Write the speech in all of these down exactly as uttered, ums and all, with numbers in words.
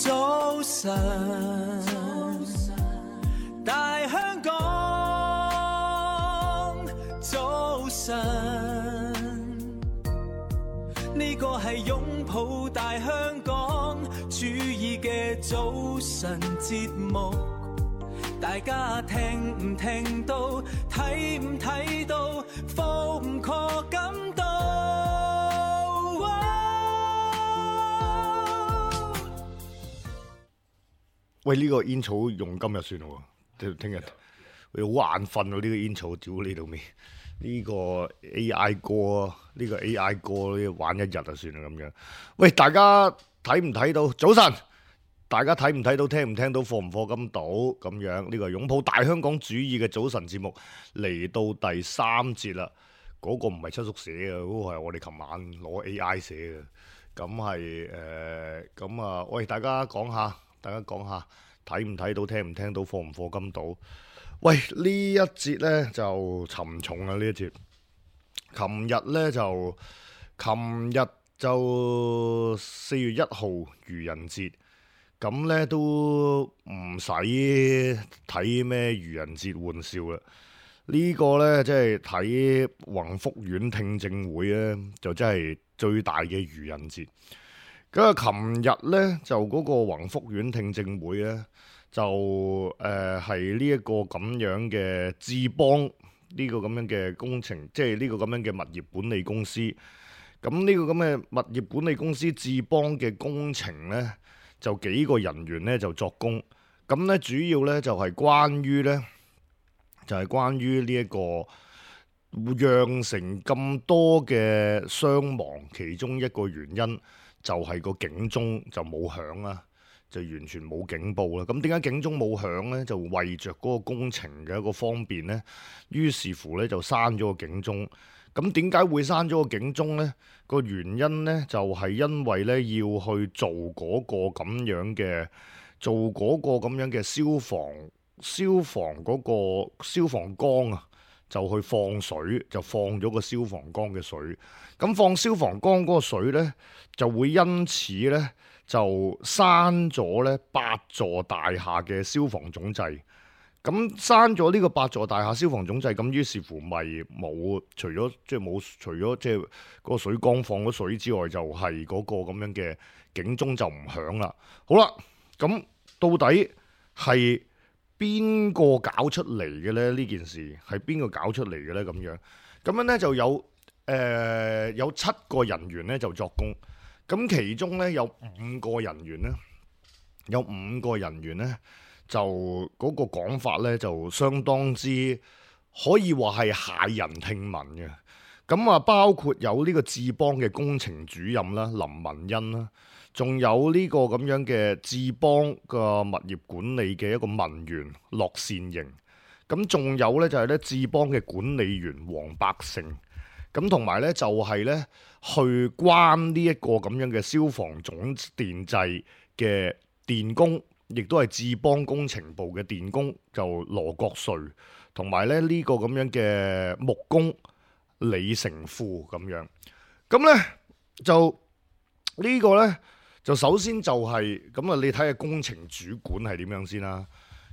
早晨，大香港，早晨，呢個係擁抱大香港主意嘅早晨節目，大家聽唔聽到，睇唔睇到，課唔課感到？喂，呢、這個煙草用今日算咯，聽聽日佢好眼瞓喎，呢、這個煙草屌呢度未？呢、這個 A I 歌，呢、這個 A I 歌呢玩一日就算啦咁樣。喂，大家睇唔睇到？早晨，大家睇唔睇到？聽唔聽到？課唔課金到？咁樣呢、這個擁抱大香港主義嘅早晨節目嚟到第三節啦。嗰、那個唔係七叔寫嘅，嗰、那個係我哋琴晚攞 A I 寫嘅。咁係誒，咁、呃、啊，喂，大家講下。大家講下睇唔睇到，聽唔聽到，課唔課金到？喂，呢一節呢就沉重啊！呢一節，琴日呢就，琴日就四月一號愚人節，咁呢都唔使睇咩愚人節玩笑啦。呢、這個呢，即係睇宏福苑聽證會呢，就真係最大嘅愚人節。咁啊，琴日咧就嗰個宏福苑聽證會咧，就誒係呢一個咁樣嘅智邦呢、呢個咁樣嘅工程，即係呢個咁樣嘅物業管理公司。咁呢個咁嘅物業管理公司智邦嘅工程咧，就幾個人員咧就作工。咁咧主要咧就係、是、關於咧，就係、是、關於呢一個釀成咁多嘅傷亡，其中一個原因。就係個警鐘就冇響啦，就完全冇警報啦。咁點解警鐘冇響呢？就為着嗰個工程嘅一個方便呢，於是乎呢，就閂咗個警鐘。咁點解會閂咗個警鐘呢？個原因呢，就係、是、因為呢要去做嗰個咁樣嘅，做嗰個咁樣嘅消防消防嗰個消防缸啊。就去放水，就放咗個消防缸嘅水。咁放消防缸嗰個水呢，就會因此呢，就閂咗呢八座大廈嘅消防總掣。咁閂咗呢個八座大廈消防總掣，咁於是乎咪冇除咗即係冇除咗即係嗰個水缸放咗水之外，就係嗰個咁樣嘅警鐘就唔響啦。好啦，咁到底係邊個搞出嚟嘅咧？呢件事係邊個搞出嚟嘅咧？咁樣咁樣咧就有誒、呃、有七個人員咧就作工，咁其中咧有五個人員咧，有五個人員咧就嗰個講法咧就相當之可以話係駭人聽聞嘅。咁啊，包括有呢個智邦嘅工程主任啦，林文欣啦。仲有呢個咁樣嘅智邦個物業管理嘅一個文員駱善瑩，咁仲有呢，就係咧智邦嘅管理員黃百成，咁同埋呢，就係呢去關呢一個咁樣嘅消防總電掣嘅電工，亦都係智邦工程部嘅電工，就羅國瑞，同埋咧呢個咁樣嘅木工李成富咁樣，咁呢，就呢個呢。就首先就係咁啊！你睇下工程主管係點樣先啦。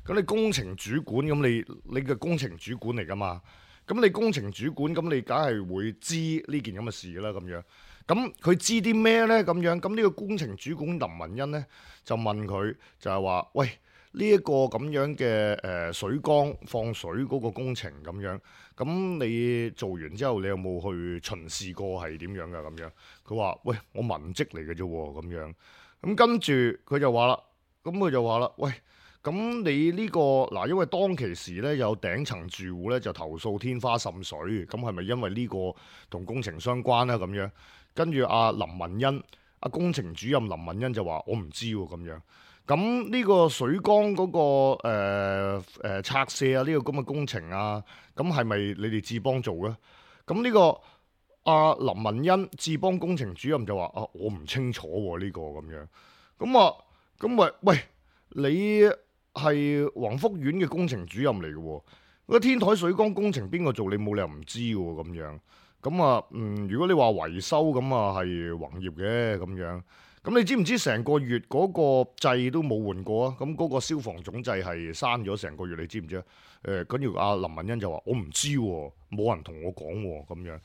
咁你工程主管咁你你嘅工程主管嚟噶嘛？咁你工程主管咁你梗係會知呢件咁嘅事啦咁樣。咁佢知啲咩呢？咁樣咁呢個工程主管林文欣呢，就問佢就係話：喂，呢一個咁樣嘅誒水缸放水嗰個工程咁樣，咁你做完之後你有冇去巡視過係點樣噶咁樣？佢話：喂，我文職嚟嘅啫喎咁樣。咁跟住佢就話啦，咁佢就話啦，喂，咁你呢個嗱，因為當其時咧有頂層住戶咧就投訴天花滲水，咁係咪因為呢個同工程相關咧咁樣？跟住阿林文欣，阿工程主任林文欣就話：我唔知喎咁樣。咁呢個水缸嗰、那個誒誒、呃呃、拆卸啊，呢、這個咁嘅工程啊，咁係咪你哋智邦做嘅？咁呢、這個阿、啊、林文欣智邦工程主任就話：啊，我唔清楚喎、啊、呢、這個咁樣。咁啊，咁咪喂，你係宏福苑嘅工程主任嚟嘅喎，個天台水缸工程邊個做？你冇理由唔知喎咁樣。咁啊，嗯，如果你話維修咁啊，係宏業嘅咁樣。咁你知唔知成個月嗰個掣都冇換過啊？咁嗰個消防總掣係閂咗成個月，你知唔知啊？誒，跟住阿林文欣就話：我唔知喎，冇人同我講喎，咁樣。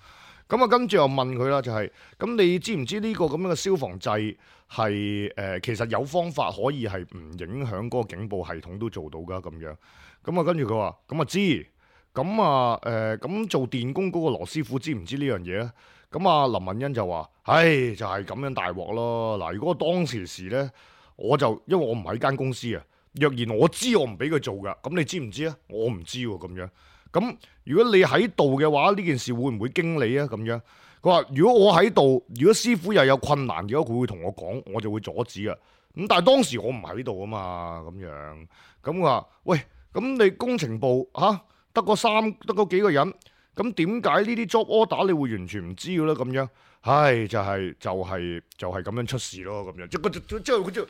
咁啊，跟住又問佢啦，就係、是、咁，你知唔知呢個咁樣嘅消防掣係誒其實有方法可以係唔影響嗰個警報系統都做到㗎咁樣？咁啊，跟住佢話：咁啊知。咁啊誒，咁、呃、做電工嗰個羅師傅知唔知呢樣嘢咧？咁啊，林文欣就話：唉，就係、是、咁樣大鑊咯。嗱，如果當時時咧，我就因為我唔喺間公司啊，若然我知我唔俾佢做㗎，咁你知唔知啊？我唔知喎，咁樣。咁如果你喺度嘅話，呢件事會唔會經你啊？咁樣，佢話如果我喺度，如果師傅又有困難嘅話，佢會同我講，我就會阻止啊。咁但係當時我唔喺度啊嘛，咁樣。咁佢話：喂，咁你工程部嚇得個三得嗰幾個人，咁點解呢啲 job order 你會完全唔知嘅咧？咁樣，唉，就係、是、就係、是、就係、是、咁樣出事咯。咁樣，即係佢即係佢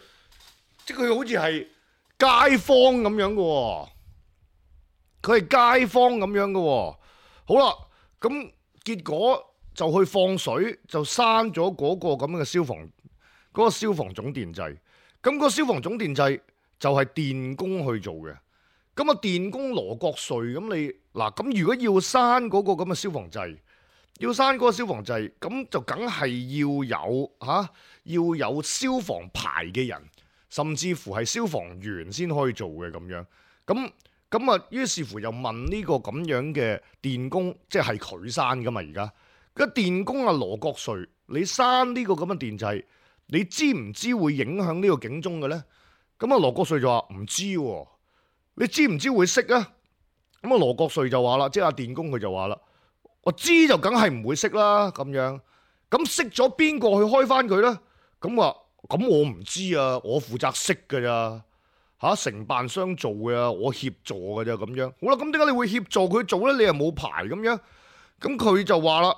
即係佢好似係街坊咁樣嘅喎。佢係街坊咁樣嘅喎，好啦，咁結果就去放水，就閂咗嗰個咁嘅消防嗰、嗰個消防總電掣。咁個消防總電掣就係電工去做嘅。咁啊，電工羅國瑞，咁你嗱，咁如果要閂嗰個咁嘅消防掣，要閂嗰個消防掣，咁就梗係要有嚇、啊，要有消防牌嘅人，甚至乎係消防員先可以做嘅咁樣，咁。咁啊，於是乎又問呢個咁樣嘅電工，即係佢閂噶嘛？而家個電工啊，羅國瑞，你閂呢個咁嘅電掣，你知唔知會影響呢個警鐘嘅咧？咁啊，羅國瑞就話唔知喎，你知唔知會熄啊？咁啊，羅國瑞就話啦，即係阿電工佢就話啦，我知就梗係唔會熄啦，咁樣，咁熄咗邊個去開翻佢咧？咁話咁我唔知啊，我負責熄㗎咋。嚇，承辦商做嘅，我協助嘅啫咁樣。好啦，咁點解你會協助佢做咧？你又冇牌咁樣。咁佢就話啦，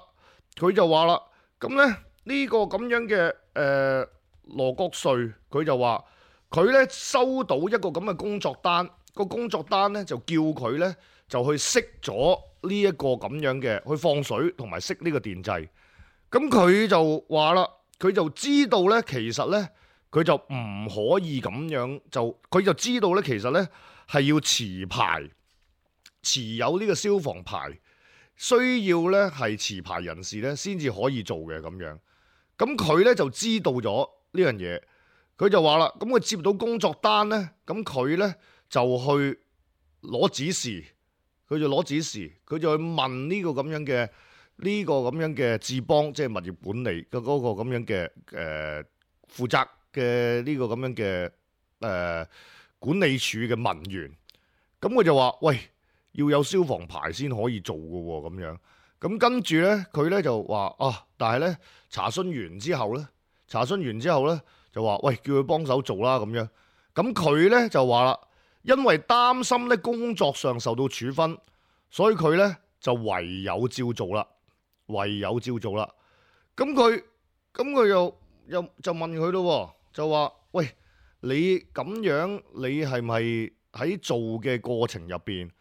佢就話啦，咁咧呢個咁樣嘅誒、呃、羅國瑞，佢就話佢咧收到一個咁嘅工作單，個工作單咧就叫佢咧就去熄咗呢一個咁樣嘅，去放水同埋熄呢個電掣。咁佢就話啦，佢就知道咧，其實咧。佢就唔可以咁樣，就佢就知道咧，其實咧係要持牌，持有呢個消防牌，需要咧係持牌人士咧先至可以做嘅咁樣。咁佢咧就知道咗呢樣嘢，佢就話啦，咁佢接到工作單咧，咁佢咧就去攞指示，佢就攞指示，佢就去問呢個咁樣嘅呢、這個咁樣嘅智邦，即係物業管理嘅嗰個咁樣嘅誒、呃、負責。嘅呢個咁樣嘅誒、呃、管理處嘅文員，咁佢就話：喂，要有消防牌先可以做嘅喎，咁樣。咁跟住咧，佢咧就話：啊，但係咧查詢完之後咧，查詢完之後咧就話：喂，叫佢幫手做啦，咁樣。咁佢咧就話啦，因為擔心咧工作上受到處分，所以佢咧就唯有照做啦，唯有照做啦。咁佢咁佢又又就問佢咯。就話：喂，你咁樣，你係咪喺做嘅過程入邊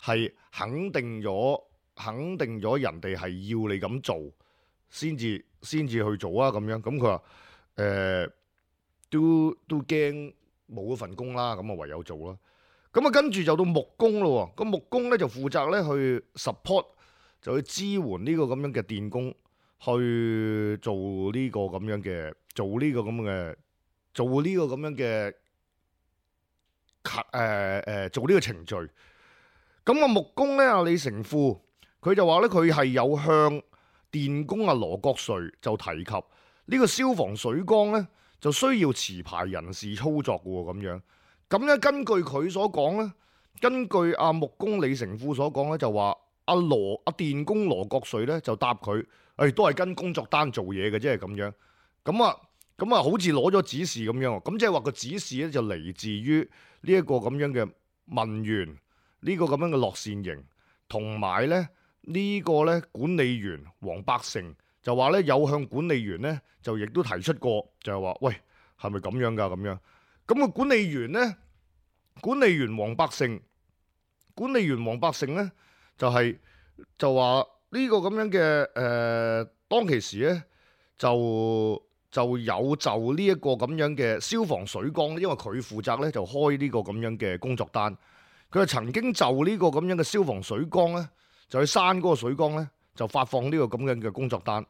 係肯定咗，肯定咗人哋係要你咁做，先至先至去做啊？咁樣，咁佢話：誒、呃，都都驚冇嗰份工啦，咁啊唯有做啦。咁啊跟住就到木工咯，個木工咧就負責咧去 support，就去支援呢個咁樣嘅電工去做呢個咁樣嘅，做呢個咁嘅。做呢個咁樣嘅誒誒，做呢個程序。咁啊木工咧，阿李成富佢就話咧，佢係有向電工阿羅國瑞就提及呢個消防水缸咧，就需要持牌人士操作嘅喎，咁樣。咁咧根據佢所講咧，根據阿木工李成富所講咧，就話阿羅阿電工羅國瑞咧就答佢，誒、哎、都係跟工作單做嘢嘅啫，咁樣。咁啊。咁啊，好似攞咗指示咁樣，咁即係話個指示咧就嚟自於呢一個咁樣嘅文員，呢、這個咁樣嘅樂善營，同埋咧呢、這個咧管理員黃百成就話咧有向管理員咧就亦都提出過，就係話喂，係咪咁樣噶咁樣？咁、那個管理員咧，管理員黃百成，管理員黃百成咧就係、是、就話呢個咁樣嘅誒、呃，當其時咧就。就有就呢一個咁樣嘅消防水缸，因為佢負責咧就開呢個咁樣嘅工作單。佢就曾經就呢個咁樣嘅消防水缸咧，就去閂嗰個水缸咧，就發放呢個咁樣嘅工作單。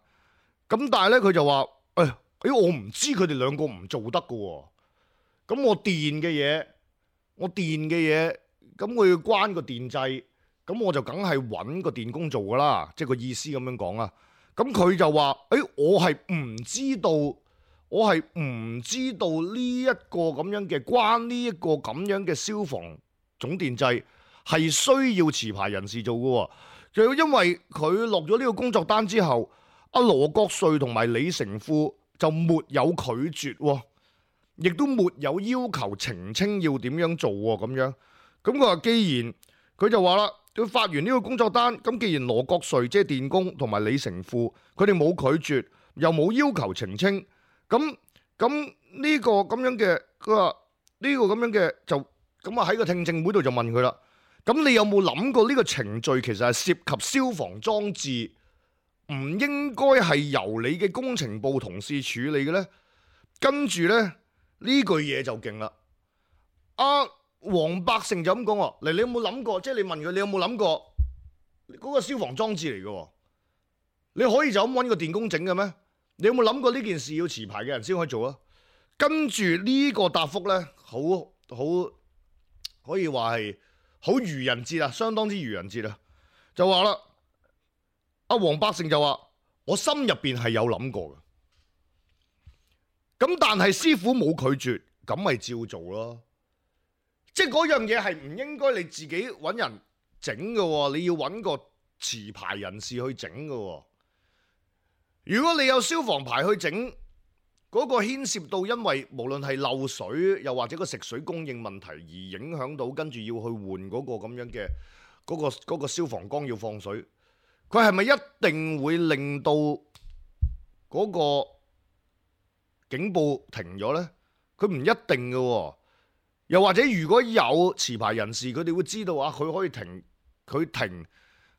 咁但係咧佢就話：誒，誒我唔知佢哋兩個唔做得㗎喎。咁我電嘅嘢，我電嘅嘢，咁我要關個電掣，咁我就梗係揾個電工做㗎啦。即係個意思咁樣講啦。咁佢就話：誒，我係唔知道，我係唔知道呢一個咁樣嘅關呢一個咁樣嘅消防總電掣係需要持牌人士做嘅。就因為佢落咗呢個工作單之後，阿羅國瑞同埋李成富就沒有拒絕，亦都沒有要求澄清要點樣做咁樣。咁佢話既然佢就話啦。佢發完呢個工作單，咁既然羅國瑞即係電工同埋李成富，佢哋冇拒絕，又冇要求澄清，咁咁呢個咁樣嘅，佢話呢個咁樣嘅就咁啊喺個聽證會度就問佢啦。咁你有冇諗過呢個程序其實係涉及消防裝置，唔應該係由你嘅工程部同事處理嘅呢？跟住呢，呢句嘢就勁啦，啊！黃百成就咁講喎，嚟你有冇諗過？即係你問佢，你有冇諗過嗰個消防裝置嚟嘅？你可以就咁揾個電工整嘅咩？你有冇諗過呢件事要持牌嘅人先可以做啊？跟住呢個答覆呢，好好可以話係好愚人節啊，相當之愚人節啊！就話啦，阿黃百成就話：我心入邊係有諗過嘅，咁但係師傅冇拒絕，咁咪照做咯。即係嗰樣嘢係唔應該你自己揾人整嘅，你要揾個持牌人士去整嘅。如果你有消防牌去整，嗰個牽涉到因為無論係漏水又或者個食水供應問題而影響到，跟住要去換嗰個咁樣嘅嗰個嗰個消防缸要放水，佢係咪一定會令到嗰個警報停咗呢？佢唔一定嘅。又或者如果有持牌人士，佢哋會知道啊，佢可以停，佢停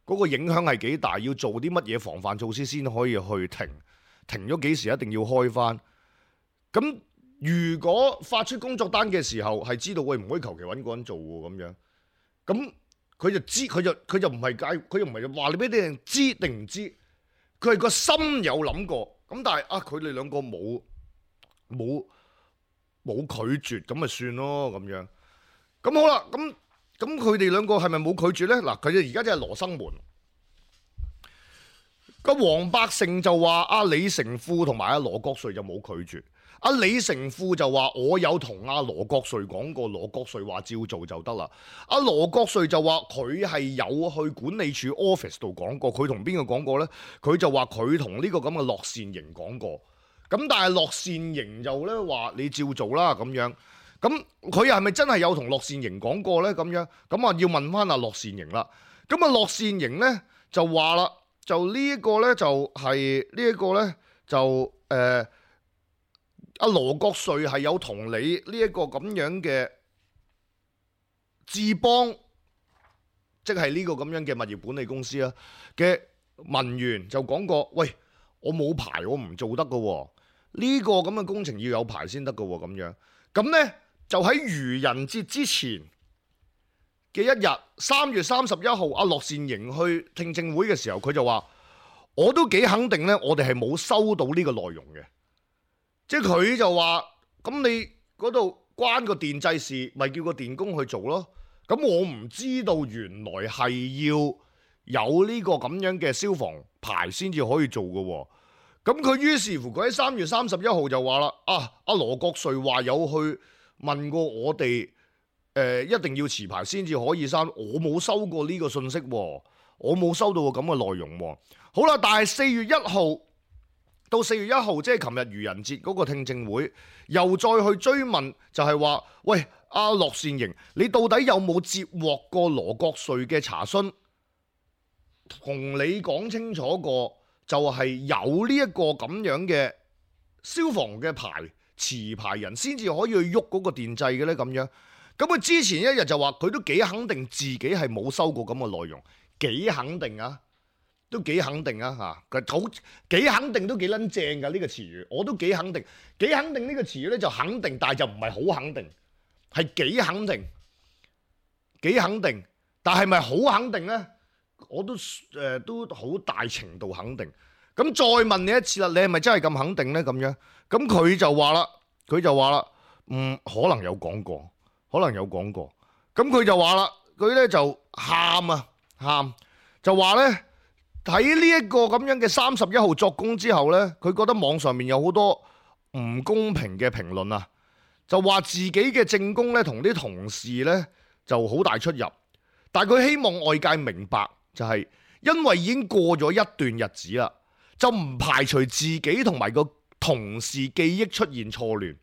嗰個影響係幾大，要做啲乜嘢防範措施先可以去停，停咗幾時一定要開翻。咁如果發出工作單嘅時候係知道喂，唔可以求其揾個人做喎咁樣，咁佢就知，佢就佢就唔係解，佢又唔係話你俾啲人知定唔知，佢係個心有諗過。咁但係啊，佢哋兩個冇冇。冇拒絕咁咪算咯咁樣，咁好啦，咁咁佢哋兩個係咪冇拒絕呢？嗱，佢哋而家真係羅生門。個黃百成就話阿李成富同埋阿羅國瑞就冇拒絕，阿李成富就話我有同阿羅國瑞講過，羅國瑞話照做就得啦。阿羅國瑞就話佢係有去管理處 office 度講過，佢同邊個講過呢？佢就話佢同呢個咁嘅樂善營講過。咁但係樂善營就咧話你照做啦咁樣，咁佢又係咪真係有同樂善營講過咧？咁樣咁啊要問翻阿樂善營啦。咁啊樂善營咧就話啦，就呢一個咧就係呢一個咧就誒阿羅國瑞係有同你呢一個咁樣嘅智邦，即係呢個咁樣嘅物業管理公司啊嘅文員就講過，喂，我冇牌，我唔做得噶喎。呢個咁嘅工程要有牌先得㗎喎，咁樣咁呢，就喺愚人節之前嘅一日，三月三十一號，阿樂善營去聽證會嘅時候，佢就話：我都幾肯定呢，我哋係冇收到呢個內容嘅。即係佢就話：咁你嗰度關個電掣事，咪叫個電工去做咯。咁我唔知道原來係要有呢個咁樣嘅消防牌先至可以做㗎喎。咁佢於是乎佢喺三月三十一號就話啦，啊，阿羅國瑞話有去問過我哋，誒、呃、一定要持牌先至可以刪，我冇收過呢個信息喎，我冇收到過咁嘅內容喎。好啦，但係四月一號到四月一號，即係琴日愚人節嗰個聽證會，又再去追問，就係話，喂，阿樂善營，你到底有冇接獲過羅國瑞嘅查詢，同你講清楚過？就係有呢一個咁樣嘅消防嘅牌持牌人先至可以去喐嗰個電掣嘅呢。咁樣咁佢之前一日就話佢都幾肯定自己係冇收過咁嘅內容，幾肯定啊！都幾肯定啊嚇，佢好幾肯定都幾撚正㗎呢個詞語，我都幾肯定，幾肯定呢個詞語咧就肯定，但係就唔係好肯定，係幾肯定，幾肯定，但係咪好肯定咧？我都誒、呃、都好大程度肯定。咁再問你一次啦，你係咪真係咁肯定咧？咁樣，咁佢就話啦，佢就話啦，嗯，可能有講過，可能有講過。咁佢就話啦，佢咧就喊啊喊，就話咧睇呢一個咁樣嘅三十一號作供之後咧，佢覺得網上面有好多唔公平嘅評論啊，就話自己嘅證供咧同啲同事咧就好大出入，但係佢希望外界明白，就係因為已經過咗一段日子啦。就唔排除自己同埋個同事記憶出現錯亂，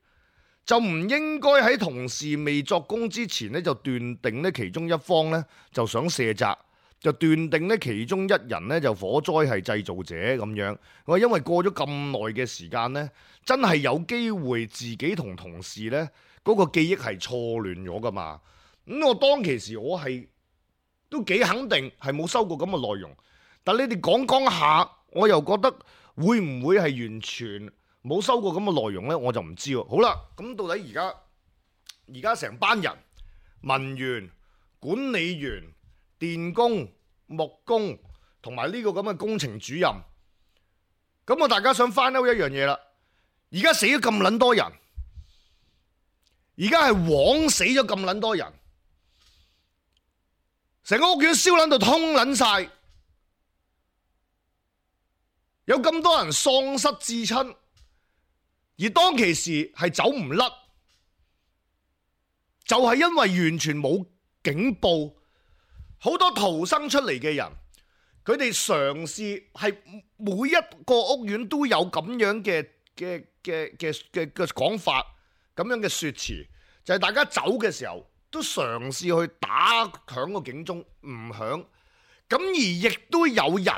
就唔應該喺同事未作供之前呢，就斷定呢其中一方呢就想卸責，就斷定呢其中一人呢就火災係製造者咁樣。我因為過咗咁耐嘅時間呢，真係有機會自己同同事呢嗰個記憶係錯亂咗噶嘛。咁我當其時我係都幾肯定係冇收過咁嘅內容，但你哋講講下。我又覺得會唔會係完全冇收過咁嘅內容呢？我就唔知喎。好啦，咁到底而家而家成班人文員、管理員、電工、木工同埋呢個咁嘅工程主任，咁我大家想翻out一樣嘢啦。而家死咗咁撚多人，而家係枉死咗咁撚多人，成個屋苑燒撚到通撚晒。有咁多人喪失至親，而當其時係走唔甩，就係因為完全冇警報，好多逃生出嚟嘅人，佢哋嘗試係每一個屋苑都有咁樣嘅嘅嘅嘅嘅嘅講法，咁樣嘅説辭，就係大家走嘅時候都嘗試去打響個警鐘，唔響，咁而亦都有人。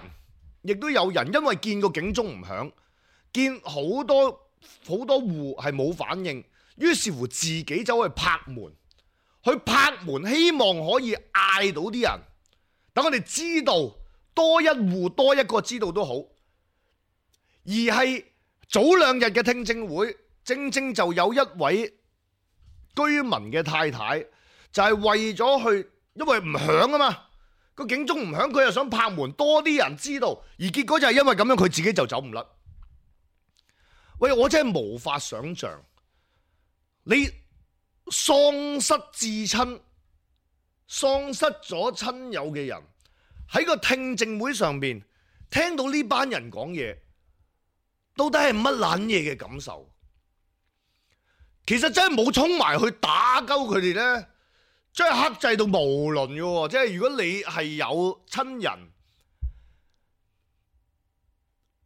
亦都有人因為見個警鐘唔響，見好多好多戶係冇反應，於是乎自己走去拍門，去拍門希望可以嗌到啲人，等我哋知道多一戶多一個知道都好。而係早兩日嘅聽證會，正正就有一位居民嘅太太就係為咗去，因為唔響啊嘛。個警鐘唔響，佢又想拍門，多啲人知道，而結果就係因為咁樣，佢自己就走唔甩。喂，我真係無法想象，你喪失至親、喪失咗親友嘅人喺個聽證會上邊聽到呢班人講嘢，到底係乜撚嘢嘅感受？其實真係冇衝埋去打鳩佢哋呢。真係克制到無倫嘅喎，即係如果你係有親人，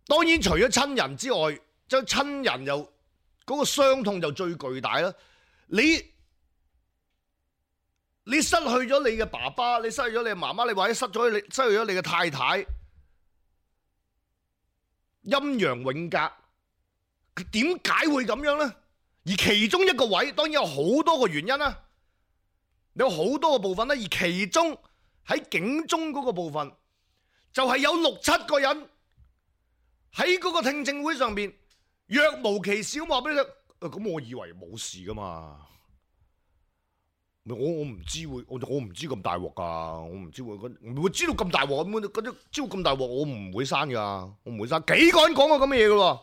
當然除咗親人之外，即係親人又嗰個傷痛就最巨大啦。你你失去咗你嘅爸爸，你失去咗你嘅媽媽，你或者失咗你失去咗你嘅太太，陰陽永隔，點解會咁樣呢？而其中一個位，當然有好多個原因啦。有好多個部分咧，而其中喺警鐘嗰個部分，就係有六七個人喺嗰個聽證會上邊若無其事咁話俾你聽。咁我以為冇事噶嘛，我我唔知會，我我唔知咁大鑊噶，我唔知會，唔會知道咁大鑊咁嗰啲，知道咁大鑊我唔會刪噶，我唔會刪。幾個人講過咁嘅嘢噶喎，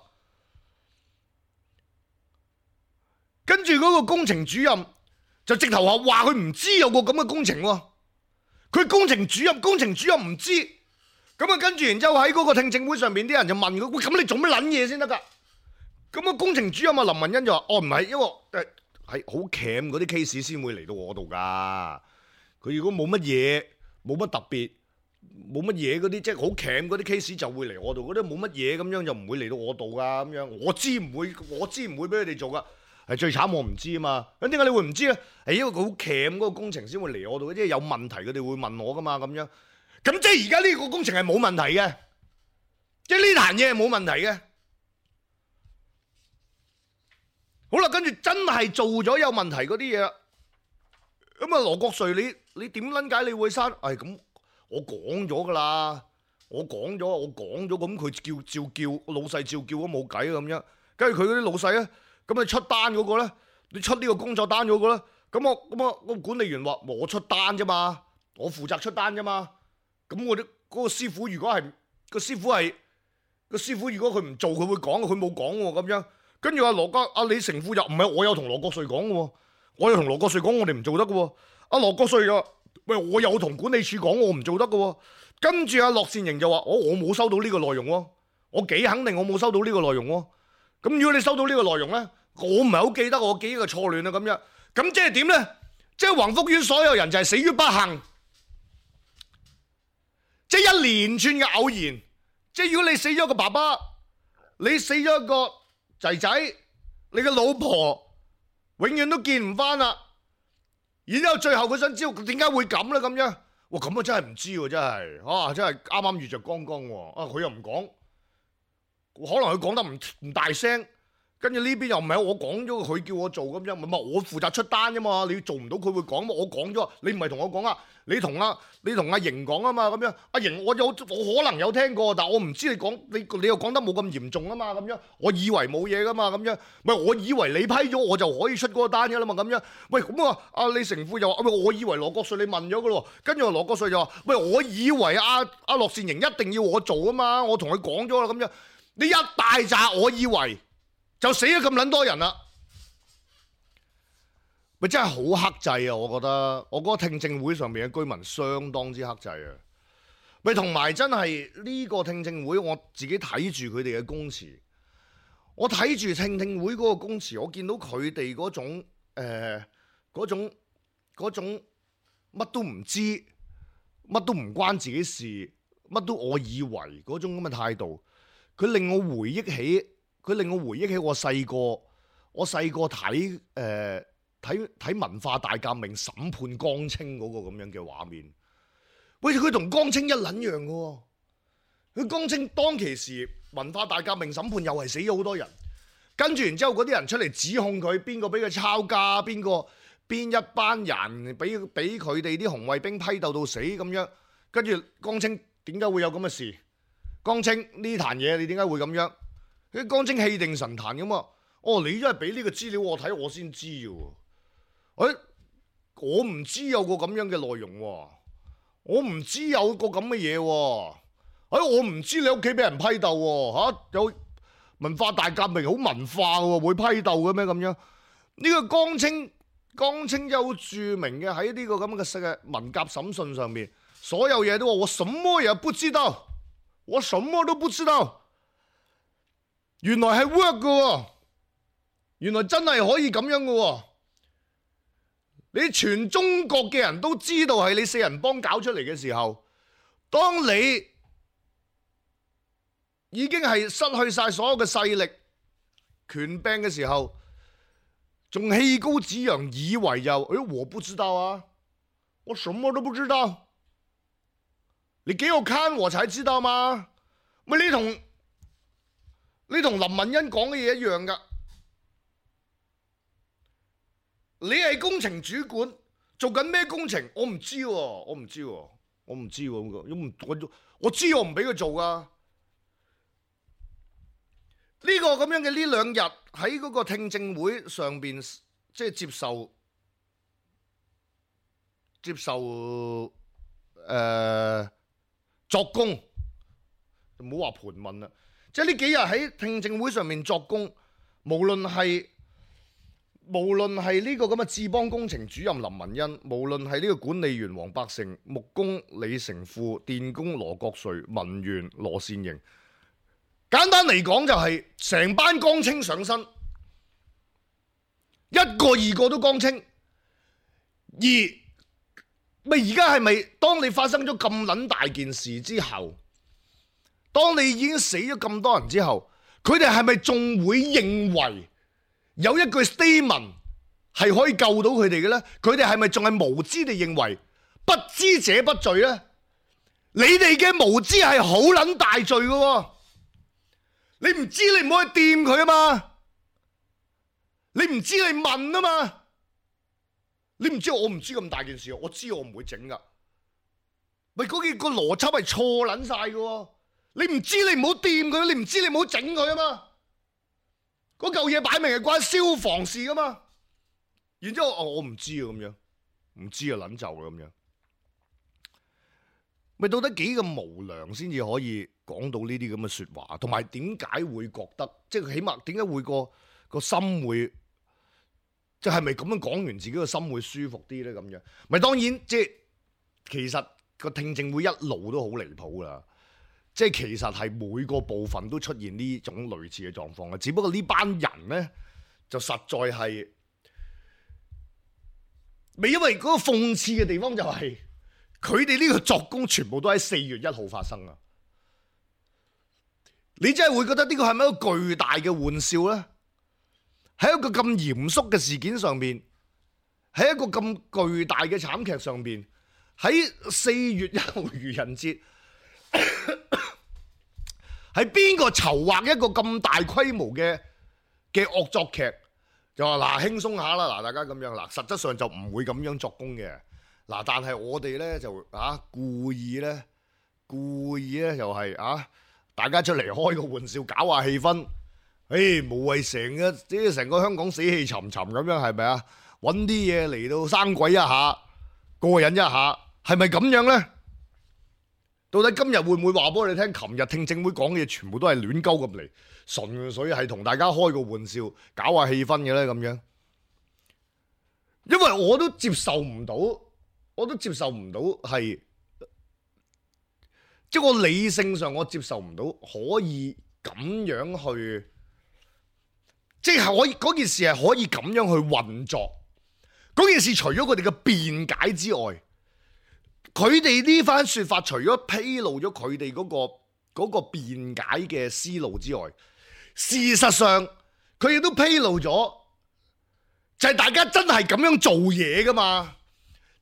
跟住嗰個工程主任。就直頭話話佢唔知有個咁嘅工程喎，佢工程主任工程主任唔知，咁啊跟住然之後喺嗰個聽證會上面啲人就問佢，喂，咁你做乜撚嘢先得㗎？咁啊工程主任啊林文欣就話，哦，唔係，因為誒係好鉗嗰啲 case 先會嚟到我度㗎，佢如果冇乜嘢冇乜特別冇乜嘢嗰啲即係好鉗嗰啲 case 就會嚟我度，嗰啲冇乜嘢咁樣就唔會嚟到我度㗎咁樣，我知唔會我知唔會俾佢哋做㗎。係最慘，我唔知啊嘛。咁點解你會唔知咧？係因為佢好鉗嗰個工程先會嚟我度，即係有問題佢哋會問我噶嘛咁樣。咁即係而家呢個工程係冇問題嘅，即係呢壇嘢係冇問題嘅。好啦，跟住真係做咗有問題嗰啲嘢啦。咁啊羅國瑞，你你點撚解你會刪？係咁，我講咗噶啦，我講咗，我講咗，咁佢叫照叫，老細照叫都冇計咁樣。跟住佢嗰啲老細咧，咁你出單嗰個咧，你出呢個工作單嗰個咧，咁我咁我個管理員話我出單啫嘛，我負責出單啫嘛。咁我啲嗰個師傅如果係個師傅係個師傅，如果佢唔做，佢會講，佢冇講喎咁樣。跟住阿羅家阿李成富又唔係，我有同羅國瑞講嘅喎，我有同羅國瑞講，我哋唔做得嘅喎。阿羅國瑞又喂，我有同管理處講，我唔做得嘅喎。跟住阿樂善盈就話：我我冇收到呢個內容喎，我幾肯定我冇收到呢個內容喎。咁如果你收到呢個內容咧，我唔係好記得，我記憶嘅錯亂啊咁樣。咁即係點咧？即係宏福苑所有人就係死於不幸，即係一連串嘅偶然。即係如果你死咗個爸爸，你死咗一個仔仔，你嘅老婆永遠都見唔翻啦。然之後最後佢想知道點解會咁咧咁樣。哇！咁啊真係唔知喎，真係啊，真係啱啱遇着剛剛喎。啊，佢又唔講，可能佢講得唔唔大聲，跟住呢邊又唔係我講咗，佢叫我做咁樣，唔係我負責出單啫嘛。你做唔到佢會講，我講咗，你唔係同我講啊，你同阿你同阿瑩講啊嘛咁樣。阿瑩我有我可能有聽過，但係我唔知你講你你又講得冇咁嚴重啊嘛咁樣，我以為冇嘢噶嘛咁樣，喂，我以為你批咗我就可以出嗰個單噶啦嘛咁樣。喂，咁啊阿李成富又話：喂，我以為羅國瑞你問咗噶咯，跟住羅國瑞就話：喂，我以為阿阿樂善盈一定要我做啊嘛，我同佢講咗啦咁樣。你一大扎我以為。就死咗咁撚多人啦，咪真係好克制啊！我覺得，我覺得聽證會上面嘅居民相當之克制啊！咪同埋真係呢個聽證會，我自己睇住佢哋嘅供詞，我睇住聽證會嗰個供詞，我見到佢哋嗰種誒嗰種嗰種乜都唔知，乜都唔關自己事，乜都我以為嗰種咁嘅態度，佢令我回憶起。佢令我回憶起我細個，我細個睇誒睇睇文化大革命審判江青嗰個咁樣嘅畫面。喂，佢同江青一撚樣嘅喎。佢江青當其時文化大革命審判又係死咗好多人，跟住然之後嗰啲人出嚟指控佢邊個俾佢抄家，邊個邊一班人俾俾佢哋啲紅衛兵批鬥到死咁樣。跟住江青點解會有咁嘅事？江青呢壇嘢你點解會咁樣？啲江青氣定神閒咁嘛？哦，你真係俾呢個資料我睇，我先知嘅喎。誒，我唔知有個咁樣嘅內容喎，我唔知有個咁嘅嘢喎。誒，我唔知你屋企俾人批鬥喎嚇，有文化大革命好文化喎，會批鬥嘅咩咁樣？呢個江青江青有著名嘅喺呢個咁嘅嘅文革審訊上面，所有嘢都話我什麼也不知道，我什麼都不知道。原來係 work 嘅，原來真係可以咁樣嘅。你全中國嘅人都知道係你四人幫搞出嚟嘅時候，當你已經係失去晒所有嘅勢力、權柄嘅時候，仲氣高子揚，以為又誒、哎，我不知道啊，我什麼都不知道。你給我看我才知道嘛？咪你同？你同林文欣講嘅嘢一樣噶，你係工程主管，做緊咩工程？我唔知喎，我唔知喎，我唔知喎，我我知我唔俾佢做噶。呢個咁樣嘅呢兩日喺嗰個聽證會上邊，即係接受接受誒、呃、作供，就唔好話盤問啦。即係呢幾日喺聽證會上面作供，無論係無論係呢個咁嘅智邦工程主任林文欣，無論係呢個管理員黃百成、木工李成富、電工羅國瑞、文員羅善盈，簡單嚟講就係成班江青上身，一個二個都江青。而咪而家係咪當你發生咗咁撚大件事之後，當你已經死咗咁多人之後，佢哋係咪仲會認為有一句 statement 係可以救到佢哋嘅呢？佢哋係咪仲係無知地認為不知者不罪呢？你哋嘅無知係好撚大罪嘅喎，你唔知你唔可以掂佢啊嘛，你唔知你問啊嘛，你唔知我唔知咁大件事，我知我唔會整噶。咪嗰件個邏輯係錯撚晒嘅喎！你唔知你唔好掂佢，你唔知你唔好整佢啊嘛！嗰嚿嘢擺明係關消防事噶嘛！然之後哦，我唔知啊咁樣，唔知啊撚就啊咁樣，咪到底幾咁無良先至可以講到呢啲咁嘅説話？同埋點解會覺得即係起碼點解會個個心會即係咪咁樣講完自己個心會舒服啲咧？咁樣咪當然即係其實。個聽證會一路都好離譜啦，即係其實係每個部分都出現呢種類似嘅狀況嘅，只不過呢班人呢，就實在係未，因為嗰個諷刺嘅地方就係佢哋呢個作供全部都喺四月一號發生啊！你真係會覺得呢個係咪一個巨大嘅玩笑呢？喺一個咁嚴肅嘅事件上面，喺一個咁巨大嘅慘劇上面。喺四月一號愚人節，係邊個籌劃一個咁大規模嘅嘅惡作劇？就話嗱輕鬆下啦，嗱大家咁樣嗱，實質上就唔會咁樣作供嘅嗱，但係我哋咧就啊故意咧故意咧又係啊大家出嚟開個玩笑，搞下氣氛，誒無謂成個即係成個香港死氣沉沉咁樣，係咪啊？揾啲嘢嚟到生鬼一下，過癮一下。係咪咁樣呢？到底今日會唔會話俾我哋聽？琴日聽證會講嘅嘢全部都係亂鳩咁嚟，純粹係同大家開個玩笑，搞下氣氛嘅呢？咁樣。因為我都接受唔到，我都接受唔到係，即係我理性上我接受唔到可以咁樣去，即係可以嗰件事係可以咁樣去運作。嗰件事除咗佢哋嘅辯解之外，佢哋呢番說法除咗披露咗佢哋嗰個嗰個辯解嘅思路之外，事實上佢亦都披露咗，就係大家真係咁樣做嘢噶嘛？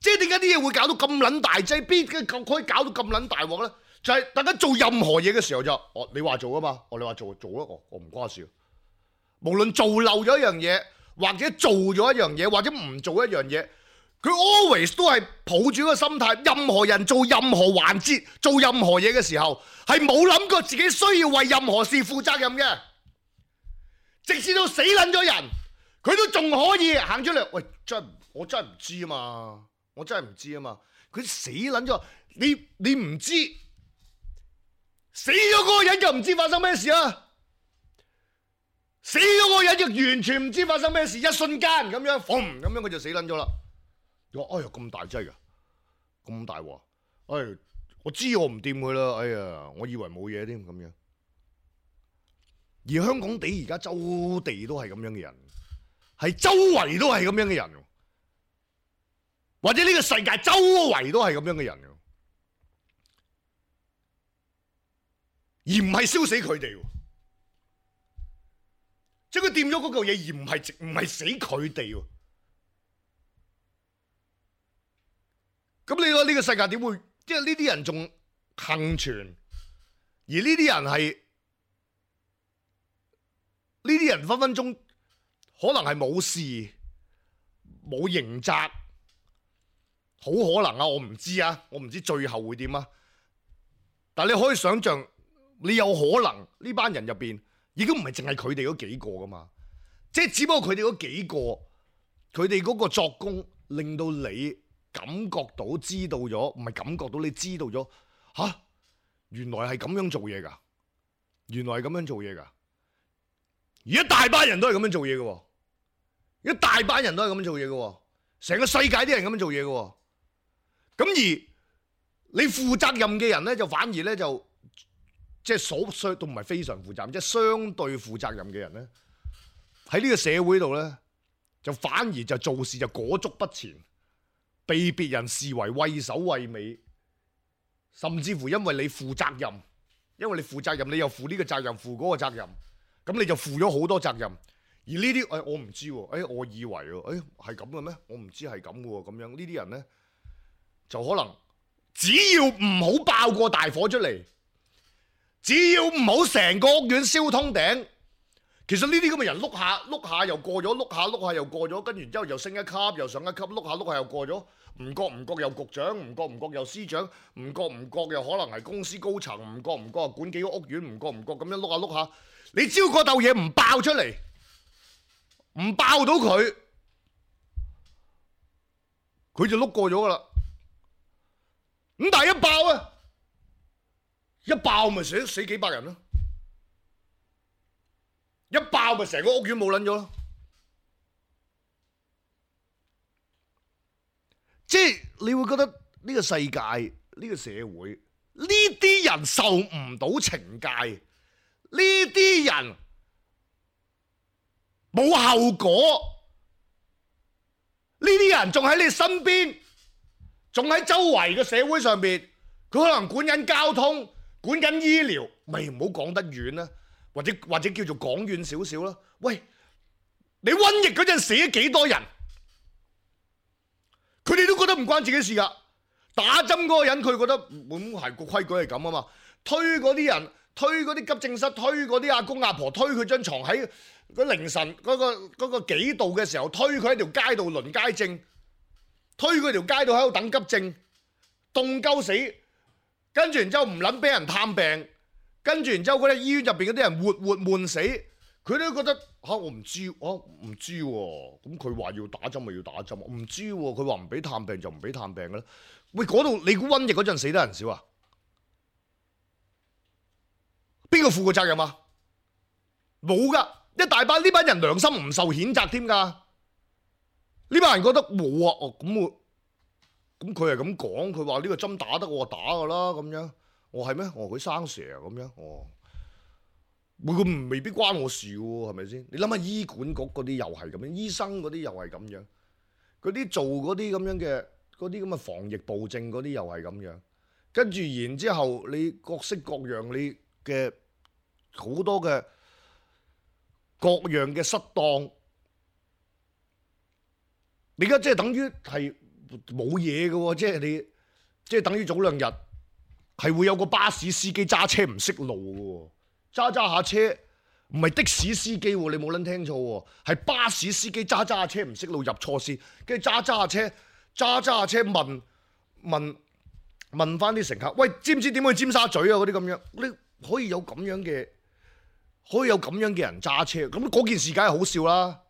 即係點解啲嘢會搞到咁撚大劑？邊嘅可以搞到咁撚大鑊咧？就係大家做任何嘢嘅時候就，哦你話做啊嘛，哦你話做做啊，我我唔關事。無論做漏咗一樣嘢，或者做咗一樣嘢，或者唔做一樣嘢。佢 always 都係抱住個心態，任何人做任何環節、做任何嘢嘅時候，係冇諗過自己需要為任何事負責任嘅。直至到死撚咗人，佢都仲可以行出嚟。喂，真我真係唔知啊嘛，我真係唔知啊嘛。佢死撚咗，你你唔知，死咗嗰個人就唔知發生咩事啊！死咗嗰個人就完全唔知發生咩事，一瞬間咁樣，嘣咁樣佢就死撚咗啦。我哎呀咁大劑噶，咁大鑊！哎，我知我唔掂佢啦，哎呀，我以為冇嘢添咁樣。而香港地而家周地都係咁樣嘅人，係周圍都係咁樣嘅人，或者呢個世界周圍都係咁樣嘅人，而唔係燒死佢哋，即係佢掂咗嗰嚿嘢，而唔係唔係死佢哋。咁你話呢個世界點會？即係呢啲人仲幸存，而呢啲人係呢啲人分分鐘可能係冇事、冇刑責，好可能啊！我唔知啊，我唔知最後會點啊。但係你可以想象，你有可能呢班人入邊，已經唔係淨係佢哋嗰幾個噶嘛，即係只不過佢哋嗰幾個，佢哋嗰個作工令到你感覺到知道咗，唔係感覺到你知道咗，吓、啊，原來係咁樣做嘢噶，原來係咁樣做嘢噶，而一大班人都係咁樣做嘢嘅，一大班人都係咁樣做嘢嘅，成個世界啲人咁樣做嘢嘅，咁而你負責任嘅人咧，就反而咧就即係所相都唔係非常負責任，即係相對負責任嘅人咧，喺呢個社會度咧，就反而就做事就裹足不前。被別人視為畏首畏尾，甚至乎因為你負責任，因為你負責任，你又負呢個責任，負嗰個責任，咁你就負咗好多責任。而呢啲誒我唔知喎，誒我以為喎，誒係咁嘅咩？我唔知係咁嘅喎，咁樣呢啲人咧就可能只要唔好爆個大火出嚟，只要唔好成個屋苑燒通頂，其實呢啲咁嘅人碌下碌下又過咗，碌下碌下又過咗，跟住之後又升一級又上一級，碌下碌下又過咗，唔覺唔覺又局長，唔覺唔覺又司長，唔覺唔覺又可能係公司高層，唔覺唔覺又管幾個屋苑，唔覺唔覺咁樣碌下碌下，你只要嗰竇嘢唔爆出嚟，唔爆到佢，佢就碌過咗噶啦。咁但係一爆啊，一爆咪死死幾百人咯。一爆咪成個屋苑冇撚咗咯，即係你會覺得呢個世界呢個社會呢啲人受唔到懲戒，呢啲人冇後果，呢啲人仲喺你身邊，仲喺周圍嘅社會上邊，佢可能管緊交通，管緊醫療，咪唔好講得遠啦。或者或者叫做講遠少少啦，喂，你瘟疫嗰陣死咗幾多人？佢哋都覺得唔關自己事噶。打針嗰個人佢覺得咁係個規矩係咁啊嘛。推嗰啲人，推嗰啲急症室，推嗰啲阿公阿婆，推佢張床喺嗰凌晨嗰個嗰個幾度嘅時候，推佢喺條街度輪街症，推佢條街度喺度等急症，凍鳩死，跟住然之後唔撚俾人探病。跟住然之後嗰啲醫院入邊嗰啲人活活悶死，佢都覺得嚇、啊、我唔知，我唔知喎。咁佢話要打針咪要打針，我唔知喎。佢話唔俾探病就唔俾探病嘅啦。喂，嗰度你估瘟疫嗰陣死得人少啊？邊個負過責任啊？冇噶，一大班呢班人良心唔受譴責添㗎。呢班人覺得冇啊，哦咁我咁佢係咁講，佢話呢個針打得我打㗎啦咁樣。我係咩？我佢生蛇啊咁樣，哦，會佢未必關我事喎，係咪先？你諗下醫管局嗰啲又係咁樣，醫生嗰啲又係咁樣，嗰啲做嗰啲咁樣嘅嗰啲咁嘅防疫暴政嗰啲又係咁樣，跟住然之後你各式各樣你嘅好多嘅各樣嘅失當，你而家即係等於係冇嘢嘅喎，即係你即係等於早兩日。係會有個巴士司機揸車唔識路嘅，揸揸下車唔係的士司機，你冇撚聽錯，係巴士司機揸揸下車唔識路入錯線，跟住揸揸下車揸揸下車問問問翻啲乘客，喂，知唔知點去尖沙咀啊？嗰啲咁樣，你可以有咁樣嘅，可以有咁樣嘅人揸車，咁嗰件事梗係好笑啦，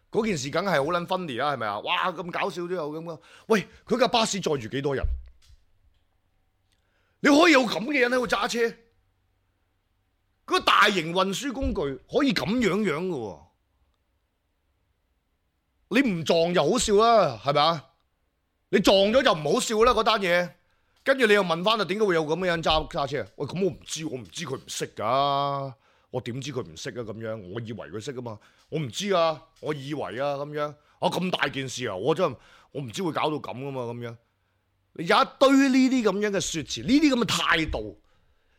嗰件事梗係好撚funny啦，係咪啊？哇，咁搞笑都有咁嘅，喂，佢架巴士載住幾多人？你可以有咁嘅人喺度揸車，嗰個大型運輸工具可以咁樣樣嘅，你唔撞就好笑啦，係咪啊？你撞咗就唔好笑啦嗰單嘢，跟住你又問翻啊，點解會有咁嘅人揸揸車啊？喂，咁我唔知，我唔知佢唔識噶，我點知佢唔識啊？咁樣，我以為佢識啊嘛，我唔知啊，我以為啊咁樣，啊咁大件事啊，我真係我唔知會搞到咁噶嘛，咁樣。有一堆呢啲咁樣嘅説辭，呢啲咁嘅態度，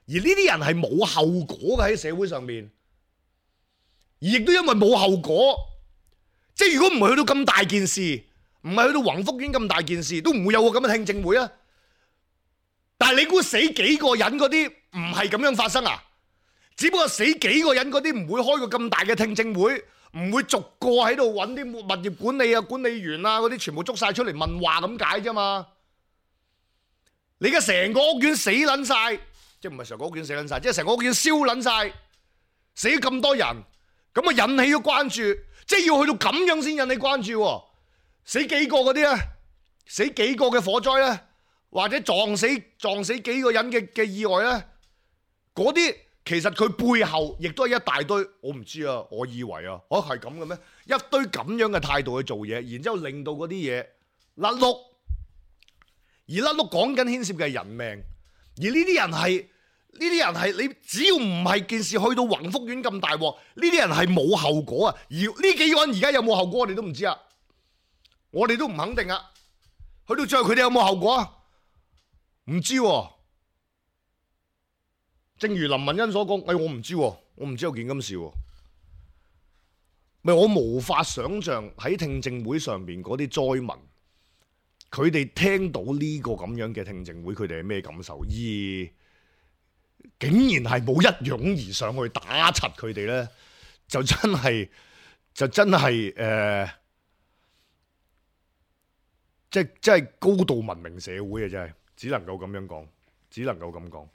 而呢啲人係冇後果嘅喺社會上面，而亦都因為冇後果，即係如果唔係去到咁大件事，唔係去到宏福苑咁大件事，都唔會有個咁嘅聽證會啊！但係你估死幾個人嗰啲唔係咁樣發生啊？只不過死幾個人嗰啲唔會開個咁大嘅聽證會，唔會逐個喺度揾啲物業管理啊、管理員啊嗰啲全部捉晒出嚟問話咁解啫嘛。你而家成個屋苑死撚晒，即係唔係成個屋苑死撚晒，即係成個屋苑燒撚晒，死咁多人，咁啊引起咗關注，即係要去到咁樣先引起關注。死幾個嗰啲咧，死幾個嘅火災咧，或者撞死撞死幾個人嘅嘅意外咧，嗰啲其實佢背後亦都係一大堆，我唔知啊，我以為啊，哦係咁嘅咩？一堆咁樣嘅態度去做嘢，然之後令到嗰啲嘢甩碌。而甩碌講緊牽涉嘅係人命，而呢啲人係呢啲人係你只要唔係件事去到宏福苑咁大鑊，呢啲人係冇後果啊！而呢幾個人而家有冇後果，我哋都唔知啊，我哋都唔肯定啊。去到最後佢哋有冇後果啊？唔知喎。正如林文欣所講，哎，我唔知喎，我唔知有件咁事喎。咪我無法想像喺聽證會上邊嗰啲災民。佢哋聽到呢個咁樣嘅聽證會，佢哋係咩感受？而竟然係冇一擁而上去打柒佢哋咧，就真係就真係誒、呃，即係即係高度文明社會啊！真係只能夠咁樣講，只能夠咁講。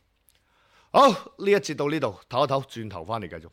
好，呢一節到呢度，唞一唞，轉頭翻嚟繼續。